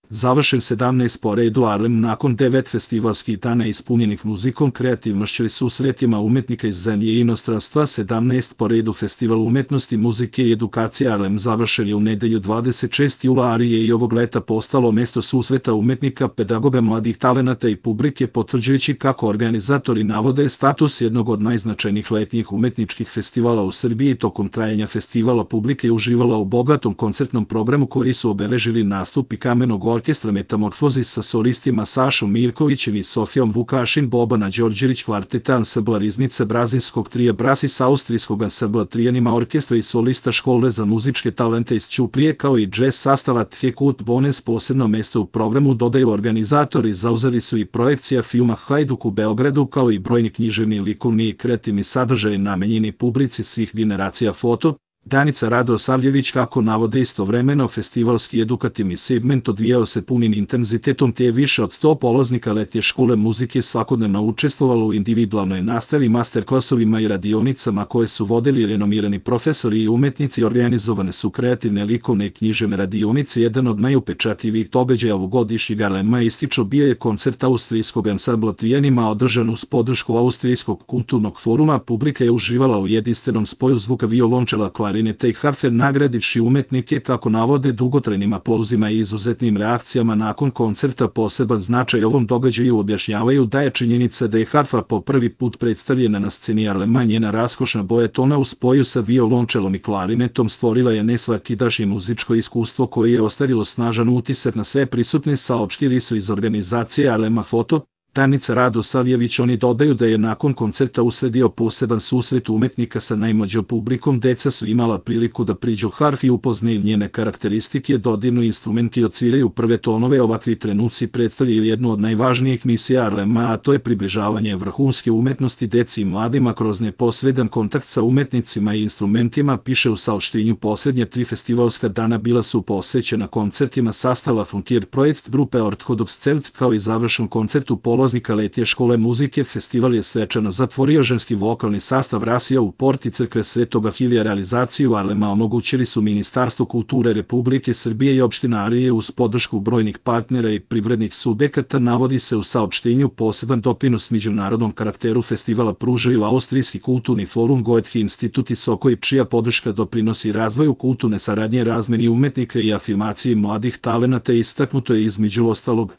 Završen 17 po redu Arlem nakon 9 festivalskih dana ispunjenih muzikom, kreativnošću i susretima umetnika iz zemlje i inostranstva. 17 po redu Festival umetnosti, muzike i edukacije Arlem završen je u nedelju 26. jula, ali je i ovog leta postalo mesto susreta umetnika, pedagoga, mladih talenata i publike, potvrđujući, kako organizatori navode, status jednog od najznačajnijih letnjih umetničkih festivala u Srbiji. Tokom trajanja festivala publika je uživala u bogatom koncertnom programu koji su obeležili nastupi Kamenog orkestra Metamorfozis sa solistima Sašom Mirkovićem i Sofijom Vukašin, Bobana Đorđević, kvarteta ansambla Riznica, brazilskog trija Brasis, austrijskog ansambla Trijanima orkestra i solista škole za muzičke talente iz Ćuprije, kao i džez sastava Tjekut Bones. Posebno mesto u programu, dodaju organizatori, zauzeli su i projekcija filma Hajduk u Beogradu, kao i brojni književni, likovni i kreativni sadržaj namenjeni publici svih generacija. Foto Danica Radosavljević. Kako navode, istovremeno festivalski edukativni segment odvijao se punim intenzitetom, te je više od 100 polaznika letnje škole muzike svakodnevno učestvovalo u individualnoj nastavi, masterklasovima i radionicama koje su vodili renomirani profesori i umetnici. Organizovane su kreativne, likovne i književne radionice. Jedan od najupečatljivijih događaja ovogodišnjeg Arlema, ističu, bio je koncert austrijskog ansambla Trijanima, održan uz podršku Austrijskog kulturnog foruma. Publika je uživala u jedinstvenom spoju zvuka violončela, klarineta i harfe, nagradivši umetnike, kako navode, dugotrajnim aplauzima i izuzetnim reakcijama nakon koncerta. Poseban značaj ovom događaju objašnjavaju da je činjenica da je harfa po prvi put predstavljena na sceni Arlema. Njena raskošna boja tona u spoju sa violončelom i klarinetom stvorila je nesvakidašnje muzičko iskustvo koje je ostavilo snažan utisak na sve prisutne, saopštili su iz organizacije Arlema. Foto Danica Radosavljević. Oni dodaju da je nakon koncerta usledio poseban susret umetnika sa najmlađom publikom. Deca su imala priliku da priđu harfi i upoznaju njene karakteristike, dodirnu instrumenti i odsviraju prve tonove. Ovakvi trenuci predstavljaju jednu od najvažnijih misija Arlema, a to je približavanje vrhunske umetnosti deci i mladima kroz neposredan kontakt sa umetnicima i instrumentima, piše u saopštenju. Poslednje 3 festivalska dana bila su posvećena koncertima sastava Frontier Projekt grupe Orthodox Celts, kao i završen koncert u polaznika letnje škole muzike. Festival je svečano zatvorio ženski vokalni sastav Rasija u porti crkve Svetoga Hilija. Realizaciju Arlema omogućili su Ministarstvo kulture Republike Srbije i opština Arije uz podršku brojnih partnera i privrednih subjekata, navodi se u saopštenju. Poseban doprinos međunarodnom karakteru festivala pružaju Austrijski kulturni forum, Goethe institut i Sokoj, čija podrška doprinosi razvoju kulturne saradnje, razmeni umetnika i afirmaciji mladih talenata. Istaknuto je između ostalog